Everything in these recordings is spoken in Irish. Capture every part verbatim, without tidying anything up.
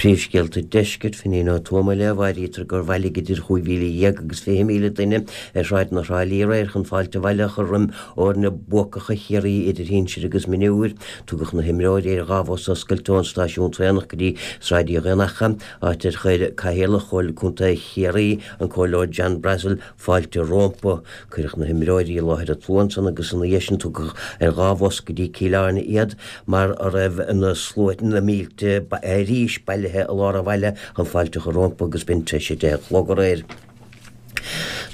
Príomhscéalta Deiscirt Finín Ó Tuama le áirítear gur bhailigh idir chúig mhíle dhéag agus fiche míle duine ar shráideanna Thrá Lí aréir chun fáilte abhaile a chur roim fhoirne buacacha Chiarraí idir shinsir agus mionúir. Tugadh na himreoirí ar dhá bhus oscailte ón stáisiún traenach go dtí Sráid Uí Dhaonnacha, áit ar chuir Cathaoirleach Chomhairle Contae Chiarraí, an Comhairleoir John Brassil, fáilte rompu. Cuireadh na himreoirí i láthair an tslua ansan agus ina dhiaidh sin tugadh ar dhá bhus go dtí Cill Airne iad mar a raibh na sluaite, na mílte arís bailithe i lár an bhaile chun fáilte a chur rompu agus b'in tar éis a deich a chlog aréir.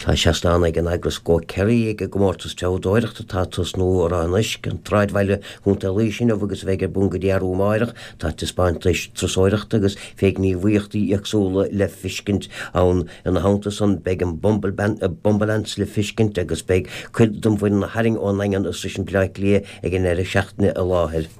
Tá seastán ag an eagras Go Kerry ag an gcomórtas treabhdóireachta atá ag tosnú i Ráth an Uisce, an tSráidbhaile, Contae Laoise inniu agus a bheidh ar bun go dtí arú amáireach. Tá taispeántais turasóireachta agus fé ghníomhaíochtaí éagsúla le fiscint ann. Ina theannta san beidh an Bumbleance le fiscint agus beidh cuid den bhfoireann a tharraing ón nDaingean is Sruiseann Bleá Cliath ag an ndeireadh seachtaine i láthair.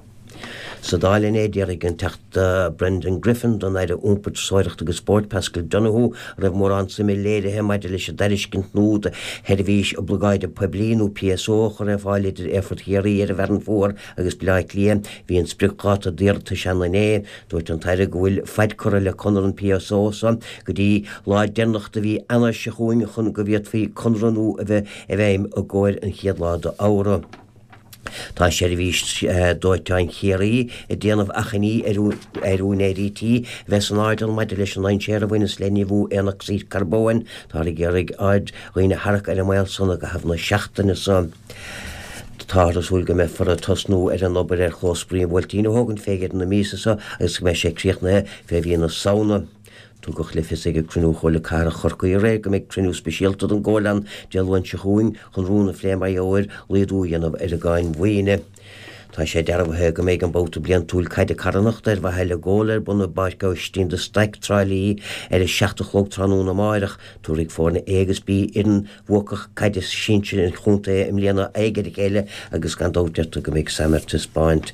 Sa Dáil inné, d'fhiafraigh an Teachta Brendan Griffin den Aire Iompair, Turasóireachta agus Spóirt, Paschal Donohoe, an raibh mórán suime léirithe maidir leis an dtairiscint nua do sheirbhís oibleagáide poiblí nó PSO a chur ar fáil idir Aerfort Chiarraí ar an bhFearann Fuar agus Baile Átha Cliath. Bhí an spriocdháta d'iarratais ann inné. Dúirt an tAire go bhfuil faid curtha le conradh an PSO so go dtí lá deireanach de mhí Eanáir seo chugainn chun go bhféadfaí conradh nua a bheith i bhfeidhm i gcomhair an chéad lá d'Fheabhra. Tá seirbhís dóiteáin Chiarraí ag déanamh achainí ar úinéirí tí a bheith san airdeall maidir leis an ndainséar a bhaineas le nimhiú aonocsaíd carbóin. Táthar ag iarraidh aird dhaoine a tharrac ar an mbaol san i gcaitheamh na seachtaine seo. Táthar ag súil go mbeifear ag tosnú ar an obair ar chlós spraoi an Bhuailtín a thógaint fé dheireadh na míosa seo agus go mbeidh sé críochnaithe fé mhí na Samhna. Tugadh le fios ag cruinniú Chomhairle Cathrach Chorcaí aréir go mbeidh cruinniú speisialta den gComhairle ann Dé Luain seo chugainn chun rún a phlé mar gheall ar laghdú a dhéanamh ar an gcáin mhaoine. Tá sé dearbhaithe go mbeidh an babhta bliantúil caide carthanachta ar mhaithe le Goal ar bun i bPáirc Aibhistín de Staic Trá Lí ar a seacht a chlog tráthnóna amáireach. Tabharfaidh foirne A agus B fhoireann bhuacach caide sinsir an chontae i mbliana aghaidh ar a chéile agus gan dabht deirtear go mbeidh Sam ar taispeáint.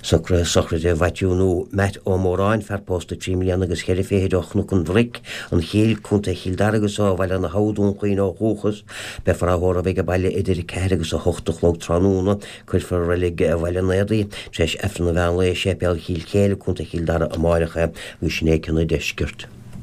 Socruithe sochraide Mhaitiú nó Matt Ó Móráin, fear pósta trí mbliana agus ceithre fichid ó Chnoc an Bhric, an Chill, Contae Chill Dara agus ó Bhaile na hAbha Dún Chaoin ó dhúchas. Beifear á thórramh ag baile idir ceathair agus a hocht a chlog tráthnóna. Cuirfear i reilig Bhaile an Éadaigh tar éis Aifreann an mheán lae i Séipéal Chill Chéile, Contae Chill Dara amáireach é, agus sin é cionn an deiscirt.